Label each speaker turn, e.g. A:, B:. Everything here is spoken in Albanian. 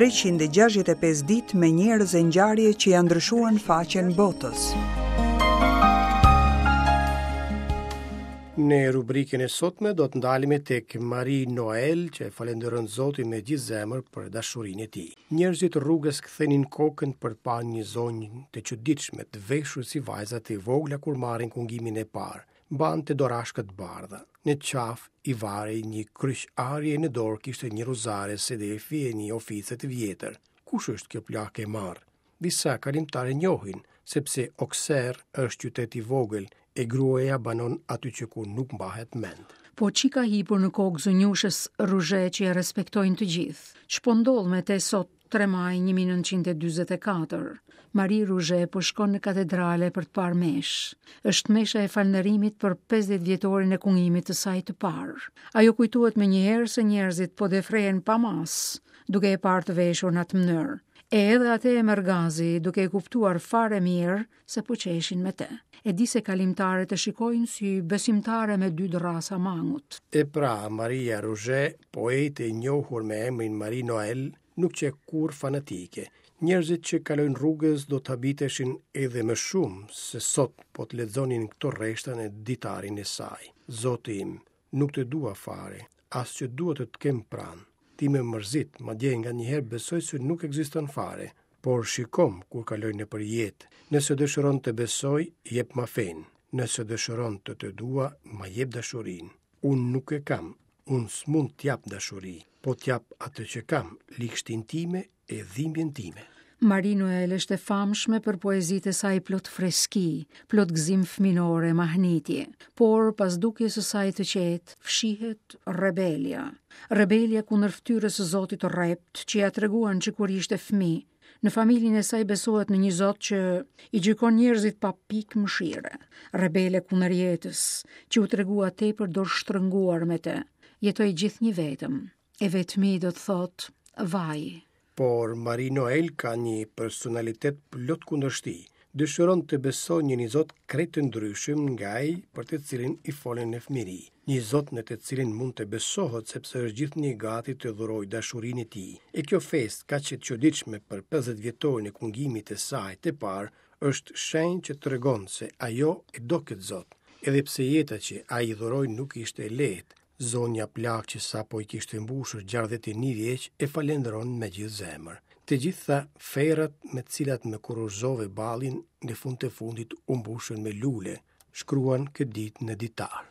A: 365 ditë me njerëz e ngjarje që ia ndryshuan faqen botës.
B: Në rubrikën e sotme do të ndalemi tek Marie Noel, që e falënderon Zotin me gjithë zemër për dashurinë e tij. Njerëzit rrugës kthenin kokën për të parë një zonjë të çuditshme, të veshur si vajzat e vogla kur marrin kungimin e parë. Mbante dorashka të bardha. Në qafë i varej një kryq ari e në dorë kishte një rozare sedefi e një ofice të vjetër. Kush është kjo plakë e marrë? Disa kalimtarë e njohin, sepse Okser është qytet i vogël e gruaja banon aty që kur nuk mbahet
C: mend. Po ç'i ka hipur në kokë zonjushës Ruzhe që e respektojnë të gjithë? Ç'po ndodh me te sot 3 maj 1944, Marie Ruzhe po shkon në katedrale për të parë meshë. Është mesha e falënderimit për 50 vjetorin e kungimit të saj të parë. Ajo kujtohet menjëherë se njerëzit po defrehen pa masë, duke e parë të veshur në atë mënyrë. E edhe atë e merr gazi, duke e kuptuar fare mirë se po qeshin me te. E di se kalimtarët e shikojnë si besimtare me dy dërrasa
B: mangut. E pra, Maria Ruzhe, poete e njohur me emrin Marie Noel, nuk qe kurrë fanatike. Njerëzit që kalojnë rrugës do të habiteshin edhe më shumë se sot po të lexonin këto rreshta në ditarin e saj. Zoti im, nuk të dua fare, as që dua të të kem pranë. Ti më mërzit, madje nganjëherë besoj se nuk ekziston fare, por shikomë kur kaloj nëpër jetë. Nëse dëshiron të besoj, jepma fenë. Nëse dëshiron të të dua, ma jep dashurinë. Unë nuk e kam, unë s'mund t'jap dashuri, po t'jap atë që kam, ligështinë time e dhimbjen
C: time. Marie Noel është e famshme për poezitë e saj plot freski, plot gëzim fëminor e mahnitje. Por pas dukjes së saj të qetë, fshihet rebelja. Rebelja kundër fytyrës së Zotit të rreptë që ia treguan që kur ishte fëmijë. Në familjen e saj besohet në një Zot që i gjykon njerëzit pa pikë mëshire. Rebele kundër jetës, që u tregua tepër dorështrënguar me të. Jetoi gjithnjë vetëm. E vetmi do të thotë vaj.
B: Por Marie Noel ka një personalitet plot kundërshti. Dëshiron të besojë në një Zot krejt të ndryshëm nga ai për të cilin i folën në fëmijëri. Një Zot në të cilin mund të besohet sepse është gjithnjë gati të dhurojë dashurinë e tij. E kjo festë kaq e çuditshme për 50 vjetorin e kungimit të saj të parë është shenjë që tregon se ajo e do këtë Zot. Edhe pse jeta që ai i dhuroi nuk ishte e lehtë, Zonja plakë që sapo i kishte mbushur 61 vjeç e falënderon me gjithë zemër. Të gjitha ferrat me të cilat më kurorëzove ballin në fund të fundit u mbushën me lule, shkruan këtë ditë në ditar.